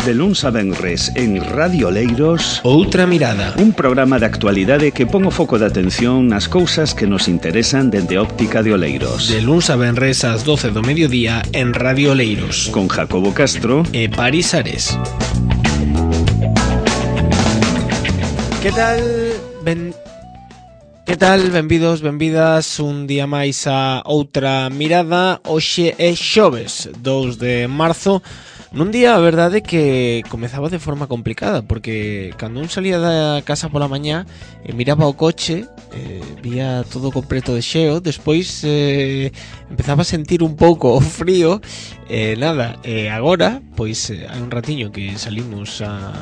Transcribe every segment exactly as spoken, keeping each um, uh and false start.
De luns a venres en Radio Oleiros, Outra Mirada, un programa de actualidade que pon o foco de atención nas cousas que nos interesan dende óptica de Oleiros. De luns a venres ás doce do mediodía en Radio Oleiros, con Jacobo Castro e Paris Ares. Que tal? Ben... Que tal? Benvidos, benvidas un día máis a Outra Mirada. Hoxe é xoves, dous de marzo. Nun día, a verdade, que comezaba de forma complicada, porque cando un salía da casa pola mañá e miraba o coche, eh, vía todo completo de xeo, despois eh, empezaba a sentir un pouco o frío, e eh, nada, e eh, agora, pois eh, hai un ratiño que salimos a,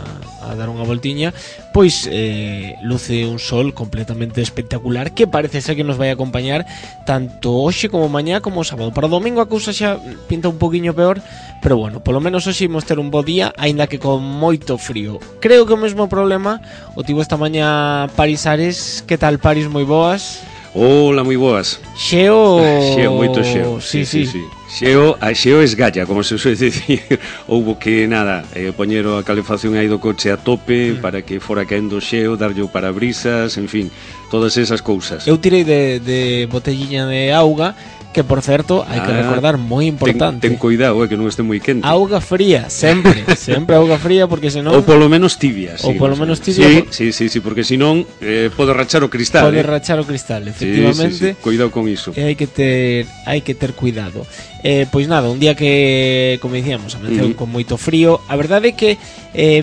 a dar unha voltiña, pois eh, luce un sol completamente espectacular que parece ser que nos vai acompañar tanto hoxe como mañá como o sábado. Para o domingo a cousa xa pinta un poquinho peor, pero bueno, polo menos hoxe imos ter un bo día, aínda que con moito frío. Creo que o mesmo problema o tivo esta mañá Paris Ares. Que tal, Paris? Moi boas. Hola, moi boas. Xeo... Xeo, moito xeo. Sí, sí, sí. sí. Xeo, a xeo esgalla, como se suele dicir. Houbo que, nada, eh, poñer a calefacción aí do coche a tope mm. para que fora caendo xeo, darlle o parabrisas, en fin, todas esas cousas. Eu tirei de, de botelliña de auga, que por certo, hai que ah, recordar, moi importante. Ten, ten cuidado, eh, que non este moi quente. Auga fría, sempre, sempre auga fría, porque senón... Ou polo menos tibia. Ou sí, polo no menos sé. tibia. Sí, por... sí, sí, sí, porque senón eh, pode rachar o cristal. Pode eh. rachar o cristal, efectivamente. Sí, sí, sí. Cuidado con iso. E hai que ter, hai que ter cuidado. Eh, pois nada, un día que, como dicíamos, amaneceu uh-huh. con moito frío. A verdade é que eh,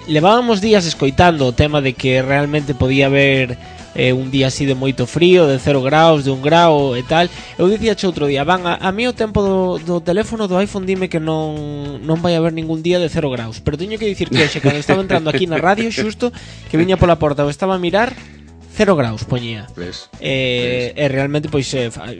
levábamos días escoitando o tema de que realmente podía haber... Eh, un día así de moito frío, de cero graus, de un grau e tal. Eu dicía che outro día, van, a, a mí o tempo do, do teléfono do iPhone dime que non non vai haber ningún día de cero graus. Pero teño que dicir que hoxe, cando estaba entrando aquí na radio, xusto, que viña pola porta, eu estaba a mirar, cero graus poñía. ¿Ves? E, e realmente pois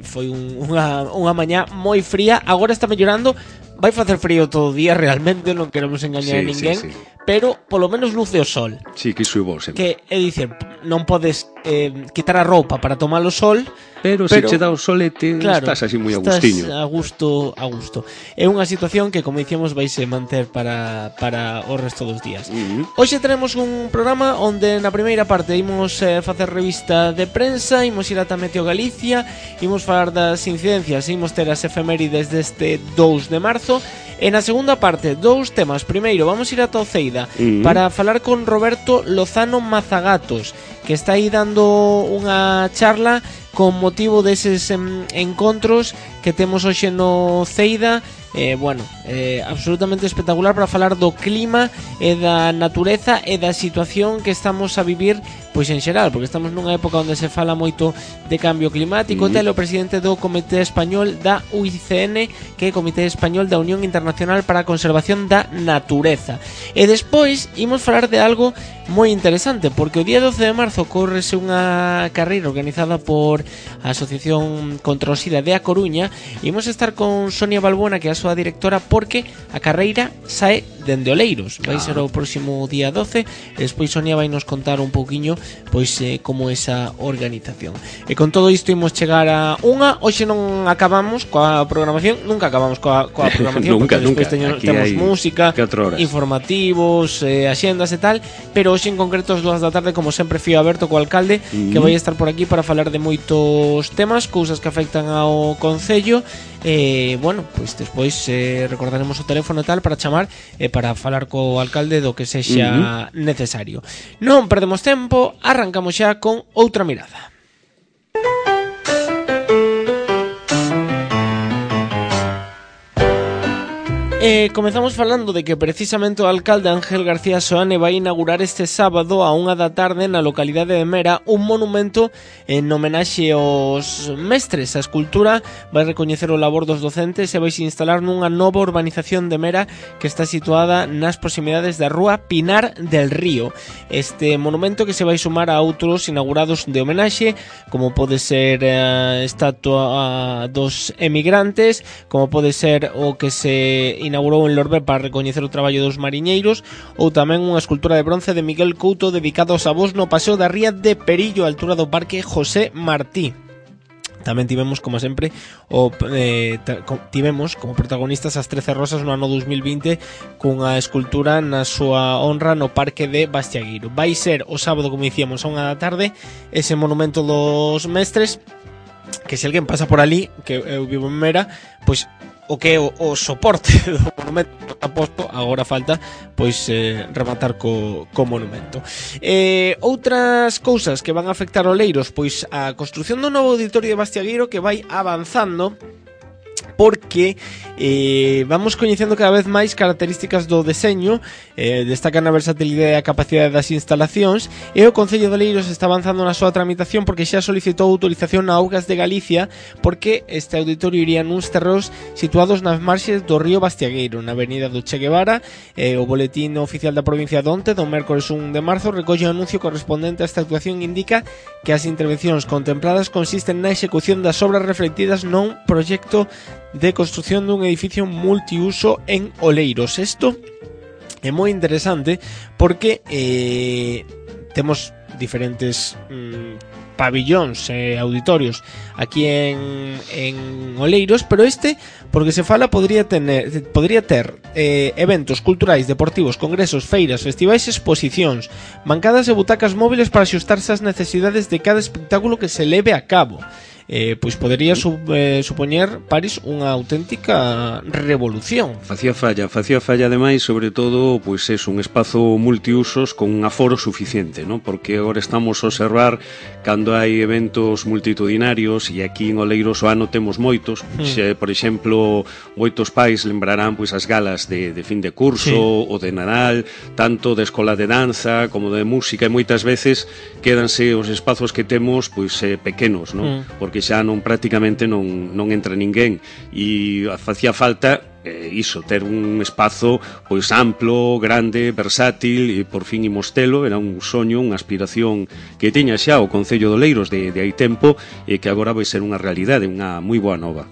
foi un, unha, unha mañá moi fría. Agora está mellorando. Vai facer frío todo o día, realmente, non queremos engañar sí, a ninguén, sí, sí. pero polo menos luce o sol. Sí, que iso é bo sempre. Que é dicir, non podes eh, quitar a roupa para tomar o sol, pero, pero se che dá o solete, claro, estás así moi a gustiño. Estás a gusto, a gusto. É unha situación que, como dicíamos, vaise manter para, para o resto dos días. Uh-huh. Hoxe tenemos un programa onde na primeira parte imos eh, facer revista de prensa, imos ir ata Meteo Galicia, imos falar das incidencias, imos ter as efemérides deste dous de marzo. E na segunda parte, dous temas. Primeiro, vamos ir a Toceida uh-huh. para falar con Roberto Lozano Mazagatos, que está aí dando unha charla con motivo deses em, encontros que temos hoxe no Ceida. Eh, bueno, eh, absolutamente espectacular para falar do clima e da natureza e da situación que estamos a vivir pois en xeral, porque estamos nunha época onde se fala moito de cambio climático. Mm. Tele o presidente do Comité Español da U I C N, que é o Comité Español da Unión Internacional para a Conservación da Natureza. E despois imos falar de algo moi interesante, porque o día doce de marzo correse unha carreira organizada por a Asociación contra o SIDA de A Coruña. Imos estar con Sonia Balbuena, que é a súa directora, porque a carreira sae dende Oleiros. Vai ser o próximo día doce, e despois Sonia vai nos contar un pouquiño pois eh, como esa organización. E con todo isto imos chegar a unha. Hoxe non acabamos coa programación, nunca acabamos coa, coa programación, nunca, porque despois nunca. Teño, temos música, informativos, eh, axendas e tal, pero hoxe en concreto as dúas da tarde, como sempre, Fío Aberto co alcalde, mm. que vai estar por aquí para falar de moitos temas, cousas que afectan ao concello. E, eh, bueno, pois despois eh, recordaremos o teléfono e tal para chamar e eh, para falar co alcalde do que sexa uh-huh. necesario. Non perdemos tempo, arrancamos xa con Outra Mirada. E comezamos falando de que precisamente o alcalde Ángel García Soane vai inaugurar este sábado a unha da tarde na localidade de Mera un monumento en homenaxe aos mestres. A escultura vai recoñecer o labor dos docentes e vai se instalar nunha nova urbanización de Mera que está situada nas proximidades da rúa Pinar del Río. Este monumento que se vai sumar a outros inaugurados de homenaxe, como pode ser a estatua dos emigrantes, como pode ser o que se inaugurou en Lorbe para recoñecer o traballo dos mariñeiros, ou tamén unha escultura de bronce de Miguel Couto dedicado aos avós no Paseo da Ría de Perillo, a altura do Parque José Martí. Tamén tivemos, como sempre, o, eh, tivemos como protagonistas as trece rosas no ano dos mil vinte cunha escultura na súa honra no Parque de Bastiagueiro. Vai ser o sábado, como dicíamos, a unha da tarde, ese monumento dos mestres, que se alguén pasa por ali, que eu vivo en Mera, pois o que é o, o soporte do monumento está posto, agora falta pois eh, rematar co, co monumento. Eh, outras cousas que van a afectar Oleiros, pois a construción do novo auditorio de Bastiagueiro, que vai avanzando, porque eh, vamos coñecendo cada vez máis características do deseño, eh, destacan a versatilidade e a capacidade das instalacións, e o Concello de Oleiros está avanzando na súa tramitación porque xa solicitou autorización na Augas de Galicia, porque este auditorio iría nuns terreos situados nas marxes do río Bastiagueiro, na avenida do Che Guevara. eh, o boletín oficial da provincia de onte, do mércores un de marzo, recolle o anuncio correspondente a esta actuación e indica que as intervencións contempladas consisten na execución das obras reflectidas nun proxecto de construción dun edificio multiuso en Oleiros. Isto é moi interesante porque eh, temos diferentes mm, pabillóns e eh, auditorios aquí en, en Oleiros, pero este, porque se fala, podría tener podría ter eh, eventos culturais, deportivos, congresos, feiras, festivais, exposicións, bancadas e butacas móviles para axustarse ás necesidades de cada espectáculo que se leve a cabo. Eh, pois podería sub, eh, supoñer, París, unha auténtica revolución. Facía falla, facía falla ademais, sobre todo, pois é un espazo multiusos con un aforo suficiente, ¿no? Porque agora estamos a observar cando hai eventos multitudinarios, e aquí en Oleiros o ano temos moitos, mm. xe, por exemplo, moitos pais lembrarán pois as galas de, de fin de curso, sí, ou de Nadal, tanto de escola de danza como de música, e moitas veces quédanse os espazos que temos pois eh, pequenos, ¿no? Mm. Porque xa non prácticamente non, non entra ninguén, e facía falta eh, iso, ter un espazo pois amplo, grande, versátil, e por fin imos telo. Era un soño, unha aspiración que tiña xa o Concello de Oleiros de, de hai tempo, e que agora vai ser unha realidade, unha moi boa nova.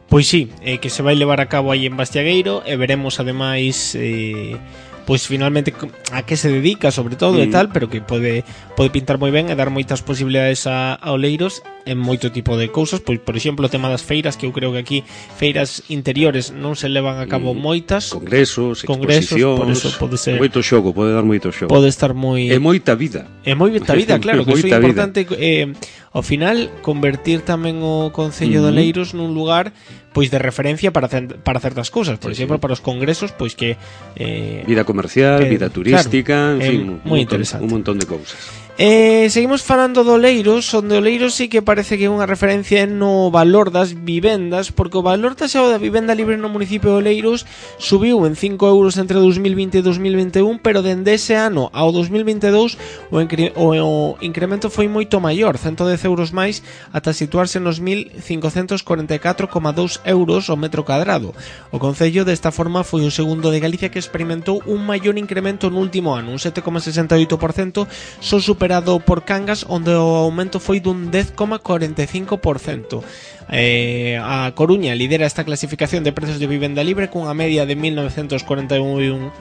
Pois sí, eh, que se vai levar a cabo aí en Bastiagueiro, e veremos ademais eh, pois finalmente a que se dedica sobre todo mm. e tal, pero que pode pode pintar moi ben e dar moitas posibilidades a, a Oleiros en moito tipo de cousas. Pois, por exemplo, o tema das feiras, que eu creo que aquí feiras interiores non se levan a cabo mm. moitas, congresos, congresos, exposicións, por eso pode ser moito xogo, pode dar moito xogo, pode estar moi é moita vida, é moita vida, claro, que iso é importante, eh, ao final convertir tamén o Concello mm. de Oleiros nun lugar pois de referencia para para certas cousas, por sí, exemplo, sí. para os congresos, pois que eh, vida comercial, que, vida turística, claro, en fin, eh, moi interesante, un montón de cousas. Eh, seguimos falando de Oleiros, onde Oleiros sí que parece que é unha referencia no valor das vivendas, porque o valor taxado da vivenda libre no municipio de Oleiros subiu en cinco euros entre dos mil vinte e dos mil vinte e un, pero dende ese ano ao dos mil vinte e dous o, incre o, o incremento foi moito maior, ciento dez euros máis, ata situarse nos mil cincocentos corenta e catro coma dous euros o metro cadrado. O Concello desta forma foi o segundo de Galicia que experimentou un maior incremento no último ano, un sete coma sesenta e oito por cento, só superado por Cangas, onde o aumento foi dun dez coma corenta e cinco por cento. Eh, a Coruña lidera esta clasificación de precios de vivenda libre cunha media de mil novecentos corenta e un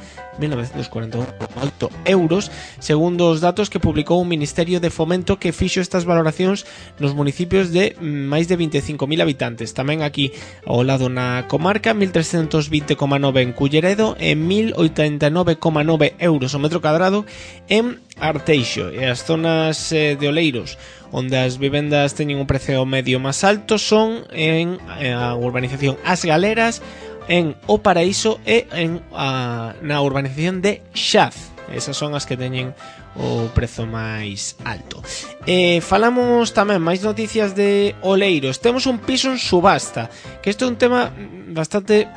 euros, segundo os datos que publicou o Ministerio de Fomento, que fixo estas valoracións nos municipios de máis de vinte e cinco mil habitantes. Tamén aquí ao lado na comarca, mil trescentos vinte coma nove en Culleredo e mil oitenta e nove coma nove euros o metro cadrado en Arteixo. E as zonas eh, de Oleiros onde as vivendas teñen un precio medio máis alto son en a urbanización As Galeras, en O Paraíso e en a, na urbanización de Xaz. Esas son as que teñen o prezo máis alto. Eh, falamos tamén máis noticias de Oleiros. Temos un piso en subasta, que isto é un tema bastante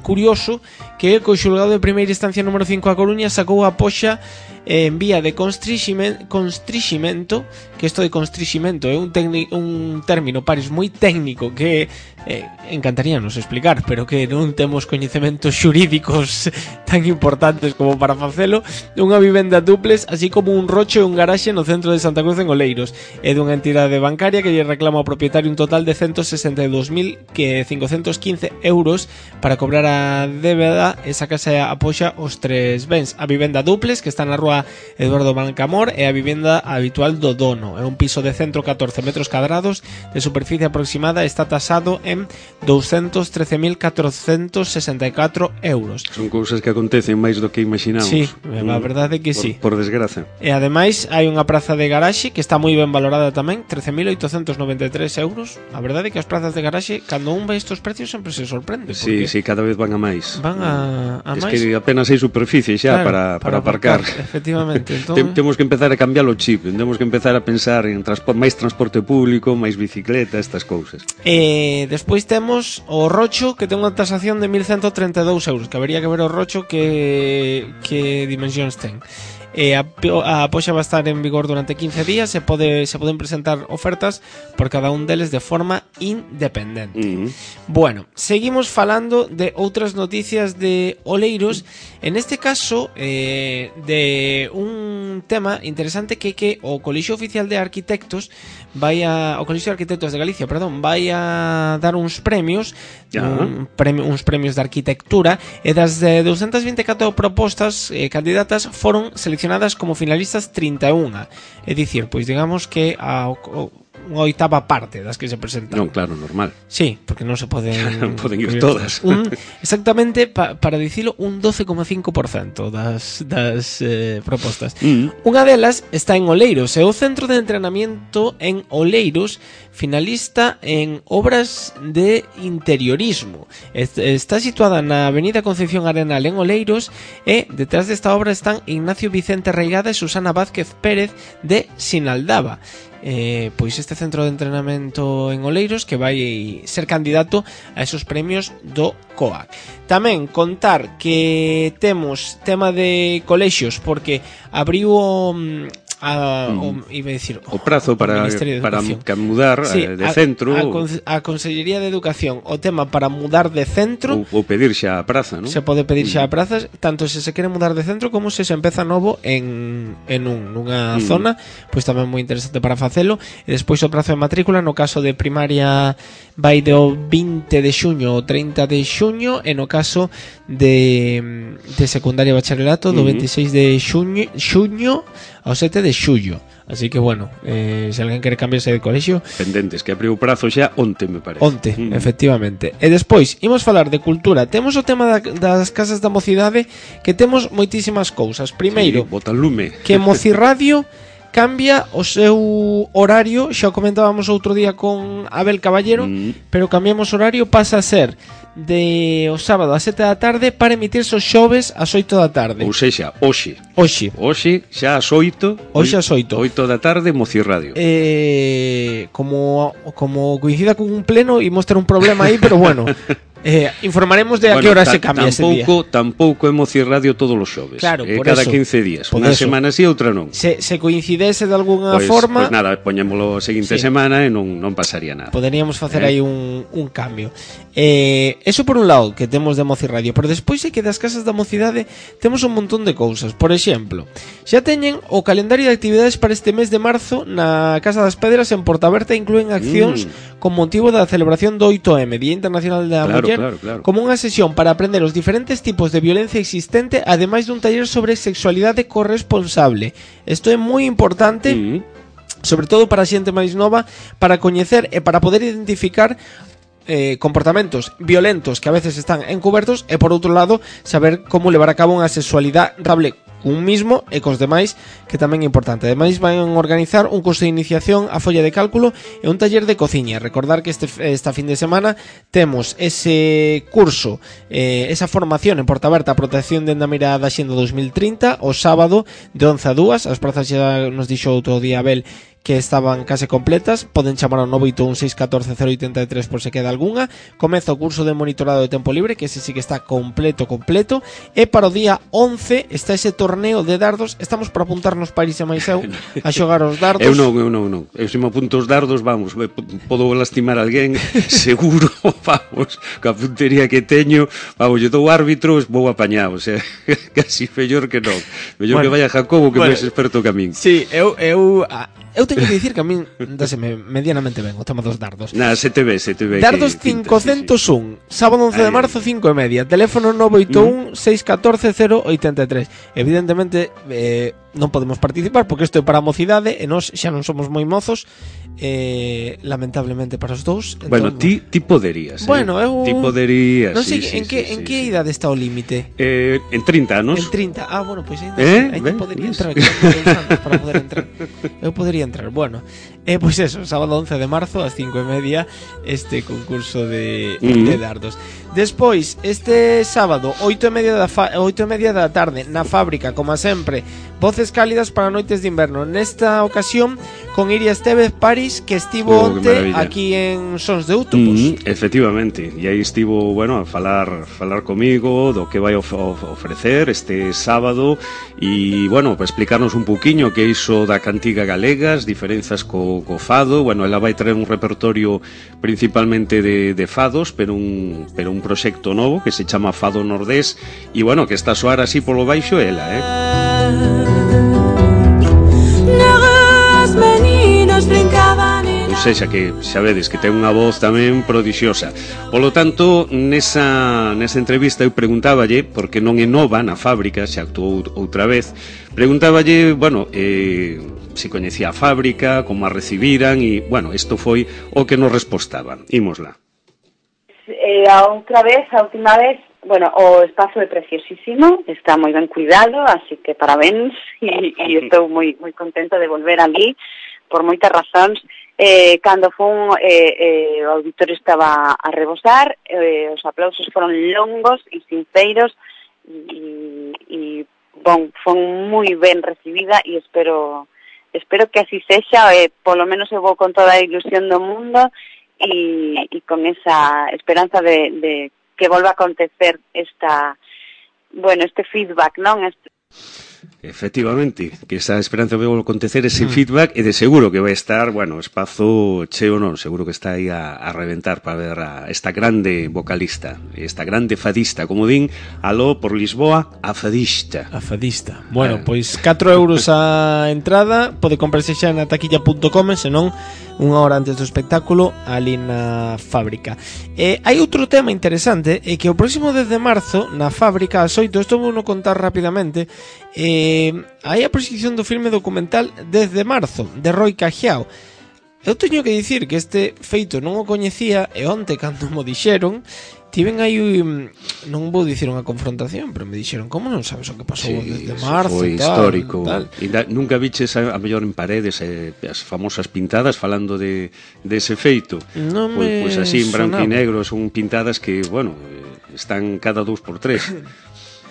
curioso, que o xulgado de primeira instancia número cinco a Coruña sacou a poxa en vía de constriximento, constriximento, que isto de constriximento é un, un término pares moi técnico que eh, encantaríanos explicar, pero que non temos coñecementos xurídicos tan importantes como para facelo. Unha vivenda duples, así como un rocho e un garaxe no centro de Santa Cruz en Oleiros, é dunha entidade bancaria que lle reclama ao propietario un total de ciento sesenta e dous mil cincocentos quince euros para cobrar a débeda muda e sacase a poxa os tres bens. A vivenda duples, que está na rúa Eduardo Bancamor, e a vivenda habitual do dono. É un piso de ciento catorce metros cadrados de superficie aproximada, está tasado en doscientos trece mil cuatrocientos sesenta e catro euros. Son cousas que acontecen máis do que imaginamos. Sí, a verdade é que por, sí. Por desgraza. E ademais hai unha praza de garaxe que está moi ben valorada tamén, trece mil oitocentos noventa e tres euros. A verdade é que as prazas de garaxe, cando un ve estos precios, sempre se sorprende. Sí, sí, cada vez van a máis. Van a, a es máis. Es que apenas hai superficie xa, claro, para, para, para aparcar. aparcar. Efectivamente. Entón... Tem, temos que empezar a cambiar o chip, temos que empezar a pensar en transpor, máis transporte público, máis bicicleta, estas cousas. E despois temos o Rocho, que ten unha tasación de mil ciento treinta e dous euros, que habería que ver o Rocho que, que dimensións ten. E a, a poxa va a estar en vigor durante quince días, se pode se poden presentar ofertas por cada un deles de forma independente. Uh-huh. Bueno, seguimos falando de outras noticias de Oleiros, en este caso eh, de un tema interesante que que o Colexio Oficial de Arquitectos vai a, o Colexio de Arquitectos de Galicia, perdón, vai a dar uns premios, uh-huh. un premio, uns premios de arquitectura, e das de doscientas vinte e catro propostas eh, candidatas foron seleccionadas como finalistas trinta e unha. É dicir, pois digamos que a, a unha oitava parte das que se presentan. Non, claro, normal. Sí, porque non se poden non poden ir todas. Un, exactamente, pa, para dicilo, un doce coma cinco por cento das, das eh, propostas. Mm. Unha delas está en Oleiros, é o Centro de Entrenamiento en Oleiros, finalista en obras de interiorismo. Está situada na Avenida Concepción Arenal en Oleiros, e detrás desta obra están Ignacio Vicente Reigada e Susana Vázquez Pérez de Sinaldaba. Eh, pois este centro de entrenamento en Oleiros que vai ser candidato a esos premios do C O A C. Tamén contar que temos tema de colexios, porque abriu o A, o, iba a decir, o prazo para, para mudar sí, de centro, a, a, a Consellería de Educación, o tema para mudar de centro, ou, ou pedir xa a praza, non? Se pode pedir xa a praza, tanto se se quere mudar de centro como se se empeza novo en, en un, nunha mm. zona, pois tamén moi interesante para facelo. E despois o prazo de matrícula, no caso de primaria vai do vinte de xuño ao trinta de xuño, e no caso de, de secundaria e bacharelato do mm. veintiséis de xuño, xuño ao sete de xullo. Así que, bueno, eh, se alguén quere cambiarse de colexio, pendentes, que abriu o prazo xa onte, me parece. Onte, mm. efectivamente. E despois, imos falar de cultura. Temos o tema da, das casas da mocidade, que temos moitísimas cousas. Primeiro, sí, botalume. Que Mocirradio cambia o seu horario, xa o comentábamos outro día con Abel Caballero, mm. pero cambiamos horario, pasa a ser de o sábado a sete da tarde para emitirse os xoves ás oito da tarde. Ou sexa, hoxe. Hoxe. Hoxe xa ás oito. Hoxe ás oito. oito da tarde, Mocirradio. Eh, como como coincida con un pleno, imos ter un problema aí, pero bueno. Eh, informaremos de a bueno, que hora se cambia ese día. Tampouco é Mocirradio todos os xoves. Claro, eh, por cada eso, quince días. Unha semana sí, outra non. Se, se coincidese de alguna pues, forma, Pois pues nada, poñémolo a seguinte sí. semana e non, non pasaría nada. Poderíamos facer eh? aí un, un cambio. Eh, eso por un lado que temos de Mocirradio, pero despois é que das casas da mocidade temos un montón de cousas. Por exemplo, xa teñen o calendario de actividades para este mes de marzo na Casa das Pedras en Portaberta, inclúen accións mm. con motivo da celebración do oito eme, Día Internacional da claro, Muller, claro, claro. como unha sesión para aprender os diferentes tipos de violencia existente, ademais dun taller sobre sexualidade corresponsable. Isto é moi importante, mm. sobre todo para a xente máis nova, para coñecer e para poder identificar Eh, comportamentos violentos que a veces están encubertos, e por outro lado saber como levar a cabo unha sexualidade rentable cun mismo e cos demais, que tamén é importante. Ademais van a organizar un curso de iniciación a folla de cálculo e un taller de cociña. Recordar que este, esta fin de semana temos ese curso, eh, esa formación en Portaberta, a protección de na mira da Xenda dos mil trinta, o sábado de once a dúas. As prazas xa nos dixo outro día Abel que estaban case completas. Poden chamar ao nove oito un seis un catro cero oito tres por se queda algunha. Comeza o curso de monitorado de tempo libre, que ese sí que está completo, completo. E para o día once está ese torneo de dardos. Estamos para apuntarnos Paris e máis eu a xogar os dardos. Eu non, eu non, non. Eu se me apunto os dardos, vamos, podo lastimar a alguén, seguro, vamos, coa puntería que teño, vamos, yo dou árbitro, vou apañado, o sea, casi mellor que non. Mellor bueno, que vaya Jacobo, que bueno, máis experto que a min. Sí, eu... eu a... Eu teño que dicir que a min dáseme medianamente ben o tema dos dardos. Na, se te ve, se te ve. Dardos cincocentos un, sí, sí. Sábado once de marzo, cinco e media. Teléfono nove oito un, seis un catro, cero oito tres. Evidentemente, eh, non podemos participar porque isto é para a mocidade e nós xa non somos moi mozos, eh, lamentablemente para os dous. Entón, bueno, ti, ti poderías, bueno, eh? eu Ti poderías, non sei sí, en sí, que sí, en sí, que sí. idade está o límite. Eh, en trinta anos. En trinta. Ah, bueno, pois pues ainda eh? aí Ben, podería yes. entrar que anos para poder entrar. Eu podería entrar. Bueno, eh, pois pues eso, sábado once de marzo ás cinco e media este concurso de, mm-hmm. de dardos. Despois, este sábado oito e media da fa- oito e media da tarde na fábrica, como sempre, voces cálidas para noites de inverno. Nesta ocasión con Iria Estevez Paris, que estivo oh, onte aquí en Sons de Outubos. Mm, efectivamente, e aí estivo, bueno, a falar falar comigo do que vai of- of- ofrecer este sábado e, bueno, para explicarnos un pouquiño que é iso da cantiga galega, as diferenzas co, co fado. Bueno, ela vai traer un repertorio principalmente de, de fados, pero un, pero un proxecto novo que se chama Fado Nordés e, bueno, que está a soar así polo baixo ela, eh? Ou seja, que xa vedes que ten unha voz tamén prodixiosa. Polo tanto, nesa, nesa entrevista eu preguntáballe, porque non é nova na fábrica, xa actuou outra vez, preguntáballe, bueno, eh, se coñecía a fábrica, como a recibiran, e, bueno, isto foi o que nos respostaban. Ímosla. Eh, a outra vez, a última vez, bueno, o espazo é preciosísimo, está moi ben cuidado, así que parabéns, e, e estou moi moi contento de volver ali, por moitas razóns. Eh, cando fun, eh, eh, o auditorio estaba a rebosar, eh, os aplausos foron longos e sinceros, e, e bon, fon moi ben recibida, e espero espero que así sexa, eh, polo menos eu vou con toda a ilusión do mundo, e, e con esa esperanza de, de que volva a acontecer esta, bueno, este feedback, non? Este... Efectivamente, que esa esperanza vai acontecer ese mm. feedback e de seguro que vai estar, bueno, espazo cheo non, seguro que está aí a, a reventar para ver a esta grande vocalista, esta grande fadista, como din, aló por Lisboa, a fadista. A fadista. Bueno, eh. pois catro euros a entrada, pode comprarse xa na taquilla punto com, senón unha hora antes do espectáculo ali na fábrica. Eh, hai outro tema interesante, é que o próximo dez de marzo na fábrica ás oito, isto vou no contar rapidamente, eh, hai a proxección do filme documental dez de marzo de Roy Cajiao. Eu teño que dicir que este feito non o coñecía e onte cando mo dixeron tiven aí, non vou dicir unha confrontación, pero me dixeron, como non sabes o que pasou sí, desde marzo? Foi tal, histórico. Tal. E da, nunca viches a, a mellor en paredes eh, as famosas pintadas falando de, de ese feito. Non pois, me pois así en branco sonaba. e negro son pintadas que, bueno, están cada dous por tres.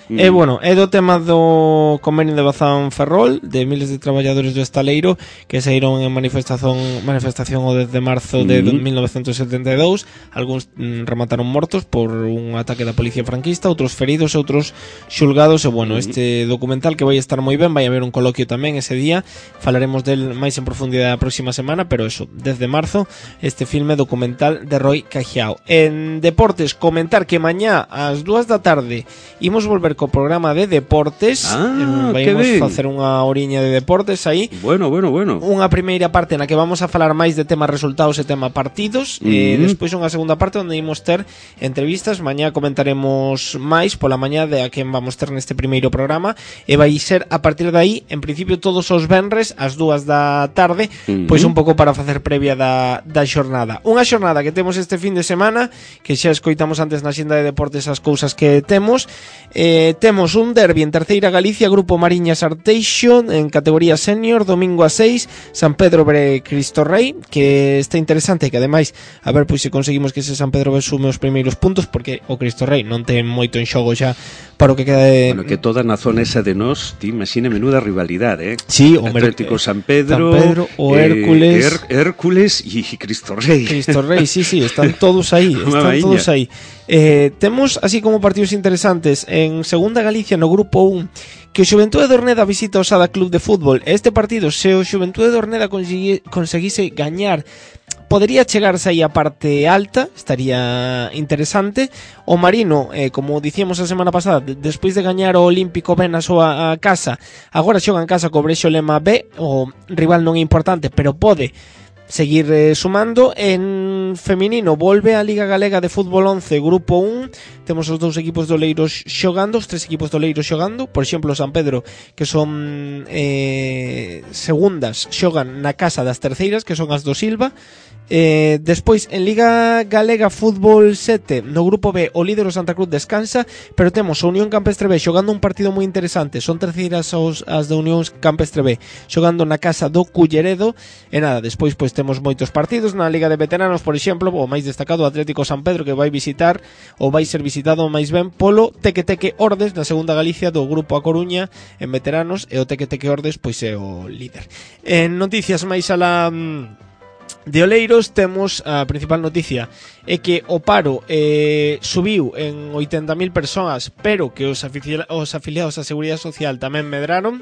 Mm. E, bueno, é do tema do convenio de Bazán Ferrol, de miles de traballadores do estaleiro que saíron en manifestación manifestación o dez de marzo de mm. mil novecentos setenta e dous. Algúns mm, remataron mortos por un ataque da policía franquista, outros feridos, outros xulgados. E, bueno, mm. este documental que vai estar moi ben, vai haber un coloquio tamén ese día, falaremos del máis en profundidade a próxima semana, pero eso, dez de marzo, este filme documental de Roy Cajiao. En deportes, comentar que mañá ás dúas da tarde imos volver co programa de deportes. Ah, Vamos facer unha oriña de deportes aí. Bueno, bueno, bueno. Unha primeira parte na que vamos a falar máis de tema resultados e tema partidos, mm-hmm. e despois unha segunda parte onde imos ter entrevistas. Mañá comentaremos máis pola mañá de a quen vamos ter neste primeiro programa, e vai ser a partir de aí, en principio todos os venres ás dúas da tarde, mm-hmm. pois un pouco para facer previa da, da xornada. Unha xornada que temos este fin de semana, que xa escoitamos antes na xenda de deportes as cousas que temos. Eh, temos un derbi en Terceira Galicia, Grupo Mariñas Arteixo en categoría senior, domingo a seis, San Pedro bre Cristo Rei, que está interesante, que ademais a ver pois se conseguimos que ese San Pedro bre sume os primeiros puntos, porque o Cristo Rei non ten moito en xogo xa para o que queda de... Bueno, que toda na zona esa de nós, ti imagina menuda rivalidade, eh? Sí, o Atlético San Pedro, San Pedro o eh, Hércules, Her Hércules e Cristo Rei. Cristo Rei, sí, sí, están todos aí, están todos aí. Eh, temos así como partidos interesantes en Segunda Galicia no grupo un, que o Xuventude de Orneda visita o Sada Club de Fútbol. Este partido, se o Xuventude de Orneda conseguise gañar Podería chegarse aí a parte alta, estaría interesante. O Marino, eh, como dicíamos a semana pasada, de, despois de gañar o Olímpico Ben a súa a casa, agora xoga en casa co Brexo Lema B. O rival non é importante, pero pode seguir eh, sumando. En feminino volve a Liga Galega de Fútbol once Grupo un. Temos os dous equipos de Oleiros xogando, os tres equipos de Oleiros xogando. Por exemplo, San Pedro, que son eh, segundas, xogan na casa das terceiras, que son as do Silva. Eh, despois en Liga Galega Fútbol sete no Grupo B o líder o Santa Cruz descansa, pero temos a Unión Campestre B xogando un partido moi interesante. Son terceiras os, as de Unión Campestre B xogando na casa do Culleredo. E nada, despois pois temos moitos partidos na Liga de Veteranos, por exemplo, o máis destacado o Atlético San Pedro, que vai visitar ou vai ser visitado máis ben polo Teque Teque Ordes na segunda Galicia do Grupo A Coruña en veteranos, e o Teque Teque Ordes pois é o líder. En noticias máis a la de Oleiros temos a principal noticia é que o paro eh, subiu en oitenta mil persoas, pero que os, afici- os afiliados á Seguridade Social tamén medraron,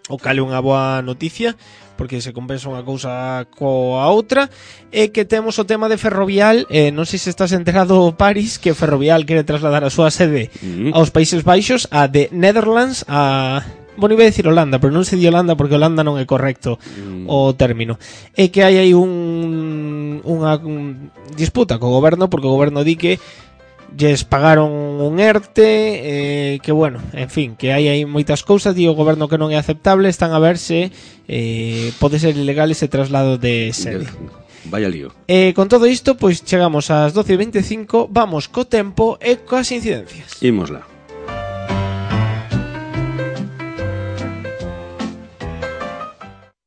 o cal é unha boa noticia porque se compensa unha cousa coa outra. E que temos o tema de Ferrovial, eh, non sei se estás enterado, Paris, que Ferrovial quere trasladar a súa sede mm. aos Países Baixos, a de Netherlands, a... Bueno, iba a decir Holanda, pero non se di Holanda porque Holanda non é correcto mm. o término. É que hai aí un, unha un disputa co goberno, porque o goberno di que lles pagaron un ERTE, eh, que bueno, en fin, que hai aí moitas cousas, di o goberno que non é aceptable, están a ver se eh, pode ser ilegal ese traslado de sede. Vaya lío. Eh, con todo isto, pois chegamos ás doce e veinticinco, vamos co tempo e coas incidencias. Ímosla.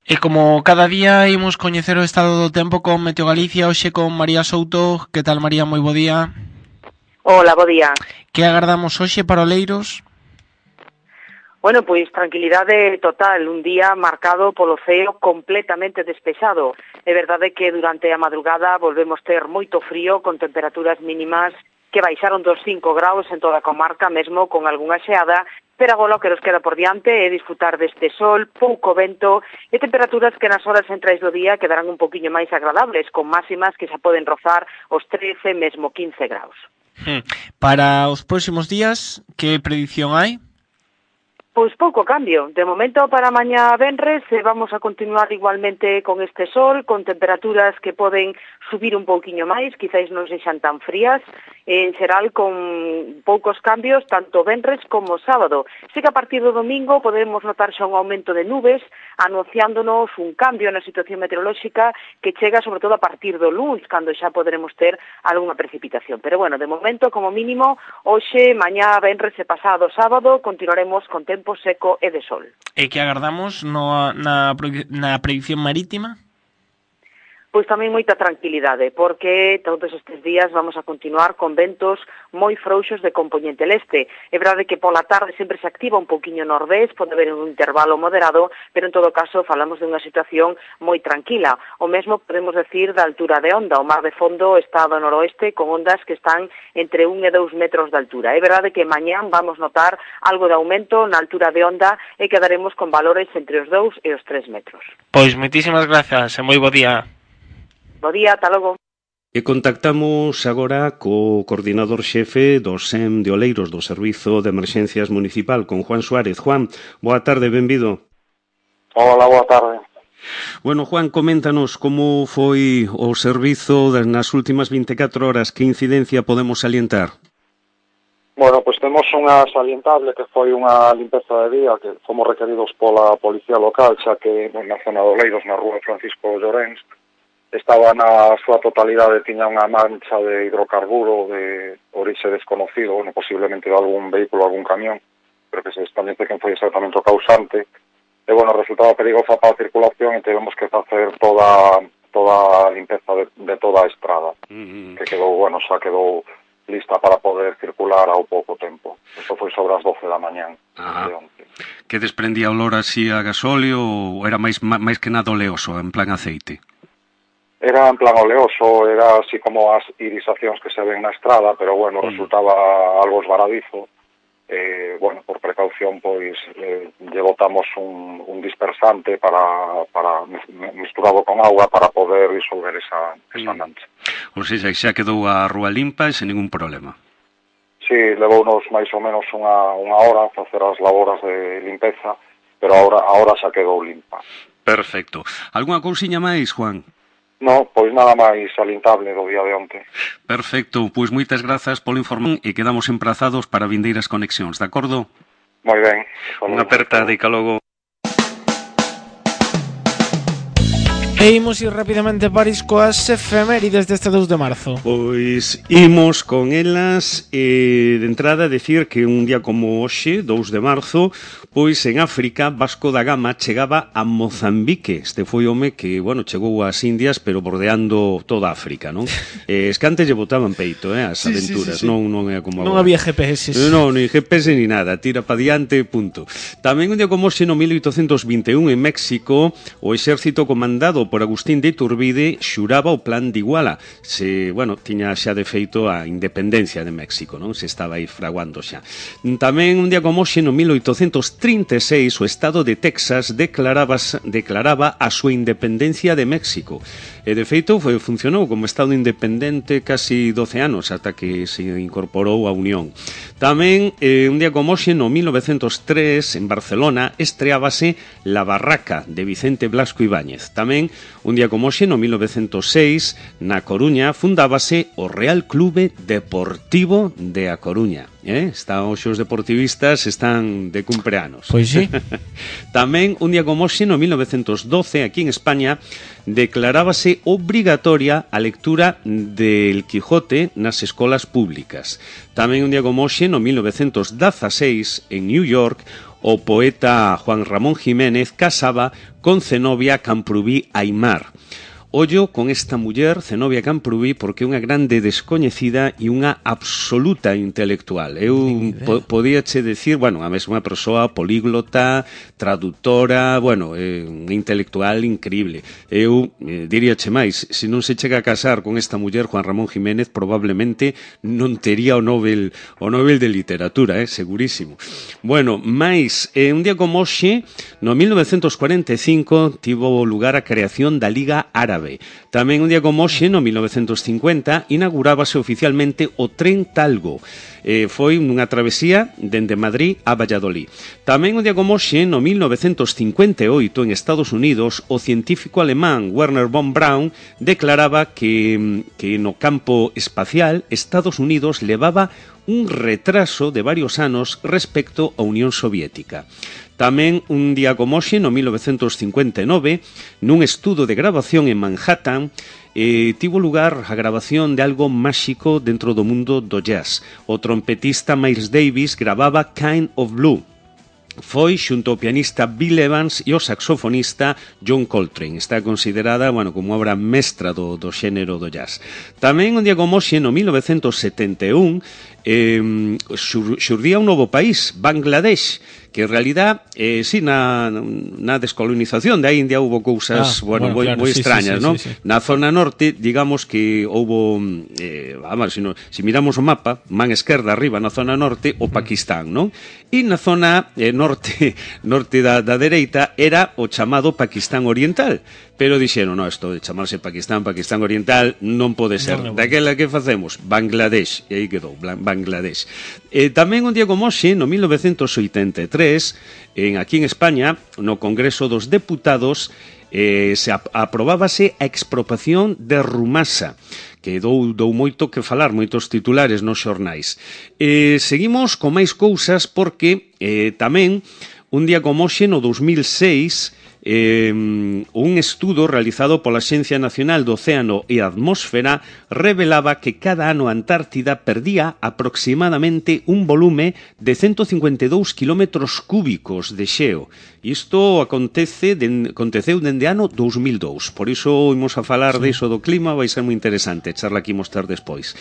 E como cada día imos coñecer o estado do tempo con Meteo Galicia, hoxe con María Souto. Que tal, María? Moi bo día. Hola, bo día. Que agardamos hoxe para Oleiros? Bueno, pois tranquilidade total, un día marcado polo ceo completamente despexado. É verdade que durante a madrugada volvemos ter moito frío, con temperaturas mínimas que baixaron dos cinco graus en toda a comarca, mesmo con algunha xeada, pero agora o que nos queda por diante é disfrutar deste sol, pouco vento e temperaturas que nas horas centrais do día quedarán un poquinho máis agradables, con máximas que xa poden rozar os trece, mesmo quince graus. Hmm. Para os próximos días, que predición hai? Pois pouco cambio. De momento para mañá venres vamos a continuar igualmente con este sol, con temperaturas que poden subir un pouquiño máis, quizáis non sexan tan frías, en xeral con poucos cambios, tanto venres como sábado. Sí que a partir do domingo podemos notar xa un aumento de nubes, anunciándonos un cambio na situación meteorolóxica que chega sobre todo a partir do luns, cando xa poderemos ter algunha precipitación. Pero bueno, de momento, como mínimo, hoxe, mañá, venres e pasado sábado, continuaremos con tempo seco e de sol. E que agardamos no, na, na predición marítima? Pois tamén moita tranquilidade, porque todos estes días vamos a continuar con ventos moi frouxos de compoñente leste. É verdade que pola tarde sempre se activa un pouquiño nordés, pode haber un intervalo moderado, pero en todo caso falamos de unha situación moi tranquila. O mesmo podemos decir da altura de onda. O mar de fondo está do noroeste con ondas que están entre un e dous metros de altura. É verdade que mañán vamos notar algo de aumento na altura de onda e quedaremos con valores entre os dous e os tres metros. Pois moitísimas grazas e moi bo día. Bo día, ata logo. E contactamos agora co coordinador xefe do S E M de Oleiros do Servizo de Emerxencias Municipal, con Juan Suárez. Juan, boa tarde, benvido. Hola, boa tarde. Bueno, Juan, coméntanos como foi o servizo nas últimas vinte e catro horas, que incidencia podemos salientar? Bueno, pois temos unha salientable que foi unha limpeza de día que fomos requeridos pola Policía Local, xa que na zona de Oleiros, na rúa Francisco Llorens, estaba na súa totalidade, tiña unha mancha de hidrocarburo de orixe desconocido, bueno, posiblemente de algún vehículo, algún camión, pero que se establece quen foi exactamente o causante. E, bueno, resultaba perigosa para a circulación e tivemos que facer toda toda a limpeza de, de toda a estrada, mm-hmm. que quedou, bueno, xa quedou lista para poder circular ao pouco tempo. Isto foi sobre as doce da mañán. De onte. Que desprendía olor así a gasóleo ou era máis, máis que nada oleoso, en plan aceite? Era en plan oleoso, era así como as irisacións que se ven na estrada, pero bueno, mm. resultaba algo esvaradizo. eh, bueno, por precaución, pois, eh, lle botamos un, un dispersante para, para misturado con agua para poder disolver esa, esa mancha. Ou seja, xa quedou a rúa limpa e sen ningún problema. Sí, levounos máis ou menos unha, unha hora facer as laboras de limpeza, pero ahora, ahora xa quedou limpa. Perfecto. Algúna cousiña máis, Juan? No, pois nada máis salientable do día de onte. Perfecto, pois moitas grazas polo informe e quedamos emprazados para vindeiras conexións, de acordo? Moi ben. Unha aperta de calogo. E imos ir rapidamente, París, coas efemérides deste dous de marzo. Pois imos con elas, e de entrada decir que un día como hoxe, dous de marzo, pois en África Vasco da Gama chegaba a Mozambique. Este foi home que, bueno, chegou ás Indias, pero bordeando toda África, non? Eh, es que antes lle botaban peito, eh, as sí, aventuras, sí, sí, sí. non non é como non agora. había G P S. Non, ni G P S ni nada, tira pa diante, punto. Tamén un día como hoxe, no mil oitocentos vinte e un, en México, o exército comandado por Agustín de Iturbide xuraba o plan de Iguala. Se, bueno, tiña xa de feito a independencia de México, non? Se estaba aí fraguando xa. Tamén un día como hoxe, no mil oitocentos trinta e seis, o estado de Texas declaraba, declaraba a súa independencia de México. E, de feito, foi, funcionou como estado independente casi doce anos, ata que se incorporou a Unión. Tamén, eh, un día como hoxe, no mil novecentos tres, en Barcelona, estreábase La Barraca, de Vicente Blasco Ibáñez. Tamén, un día como hoxe, no mil novecentos seis, na Coruña, fundábase o Real Clube Deportivo de A Coruña. Eh? Está, hoxe os deportivistas están de cumpleanos. Pois sí. Tamén, un día como hoxe, no mil novecentos doce, aquí en España, declarábase obrigatoria a lectura del Quijote nas escolas públicas. Tamén un día como hoxe, no mil novecentos dezaseis, en New York, o poeta Juan Ramón Jiménez casaba con Zenobia Camprubí Aimar. Ollo con esta muller, Zenobia Camprubí, porque é unha grande descoñecida e unha absoluta intelectual. Eu po podíache decir, bueno, a mesma persoa políglota, traductora, bueno, é unha intelectual increíble. Eu eh, diríache máis, se non se chega a casar con esta muller, Juan Ramón Jiménez, probablemente non tería o Nobel, o Nobel de Literatura, eh, segurísimo. Bueno, máis, eh, un día como hoxe, no mil novecentos cuarenta e cinco, tivo lugar a creación da Liga Árabe. Tamén un día como hoxe, no mil novecentos cincuenta, inaugurábase oficialmente o tren Talgo. Eh, foi unha travesía dende Madrid a Valladolid. Tamén un día como hoxe, no mil novecentos cincuenta e oito, en Estados Unidos, o científico alemán Werner von Braun declaraba que, que no campo espacial Estados Unidos levaba un retraso de varios anos respecto á Unión Soviética. Tamén un día como hoxe, no mil novecentos cincuenta e nove, nun estudo de grabación en Manhattan, eh, tivo lugar a grabación de algo máxico dentro do mundo do jazz. O trompetista Miles Davis gravaba Kind of Blue. Foi xunto ao pianista Bill Evans e o saxofonista John Coltrane. Está considerada, bueno, como obra mestra do, do xénero do jazz. Tamén un día como hoxe, no mil novecentos setenta e un, eh, xur, xurdía un novo país, Bangladesh, que en realidad, eh, sí, na, na descolonización da India houve cousas, ah, bueno, moi claro, sí, extrañas, sí, sí, non? Sí, sí. Na zona norte, digamos que houve, eh, vamos, si, no, si miramos o mapa, man esquerda arriba na zona norte, o Pakistán, non? E na zona eh, norte norte da, da dereita era o chamado Pakistán Oriental. Pero dixeron, no, isto de chamarse Pakistán, Pakistán Oriental, non pode ser. No, no, daquela que facemos? Bangladesh. E aí quedou, Bangladesh. Eh, tamén un día como hoxe, no mil novecentos oitenta e tres, en, aquí en España, no Congreso dos Deputados, eh, se ap aprobábase a expropiación de Rumasa, que dou, dou moito que falar, moitos titulares nos xornais. Eh, seguimos con máis cousas porque eh, tamén, un día como hoxe, no dos mil seis, Eh, un estudo realizado pola Axencia Nacional do Océano e Atmósfera revelaba que cada ano a Antártida perdía aproximadamente un volume de ciento cincuenta e dous kilómetros cúbicos de xeo. Isto acontece den, aconteceu dende ano dous mil dous. Por iso imos a falar sí. diso do clima, vai ser moi interesante charla que imos ter despois.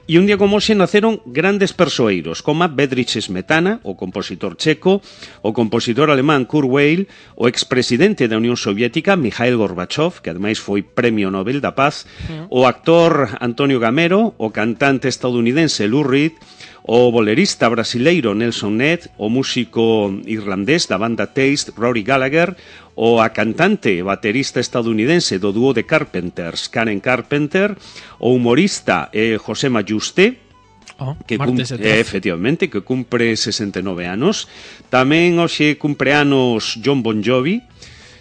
E un día como hoxe naceron grandes persoeiros como Bedřich Smetana, o compositor checo, o compositor alemán Kurt Weill, o expresidente presidente da Unión Soviética, Mikhail Gorbachev, que ademais foi Premio Nobel da Paz, o actor Antonio Gamero, o cantante estadounidense Lou Reed, o bolerista brasileiro Nelson Ned, o músico irlandés da banda Taste, Rory Gallagher, o a cantante e baterista estadounidense do dúo de Carpenters, Karen Carpenter, o humorista eh, José Mayuste, oh, que cum, eh, efectivamente, que cumpre sesenta e nove anos. Tamén hoxe cumpre anos John Bon Jovi,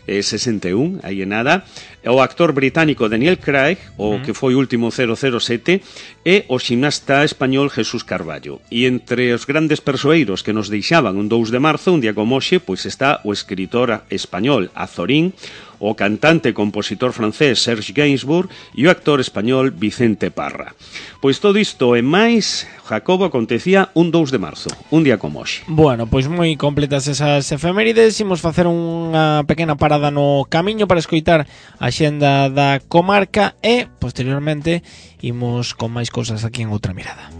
eh, sesenta e un, aí é nada. O actor británico Daniel Craig, o que foi último cero cero sete, e o ximnasta español Jesús Carballo. E entre os grandes persoeiros que nos deixaban un dous de marzo, un día como hoxe, pois está o escritor español Azorín, o cantante e compositor francés Serge Gainsbourg e o actor español Vicente Parra. Pois todo isto e máis, Jacobo, acontecía un dous de marzo, un día como hoxe. Bueno, pois moi completas esas efemérides. Imos facer unha pequena parada no camiño para escoitar a xenda da comarca e, posteriormente, imos con máis cousas aquí en Outra Mirada.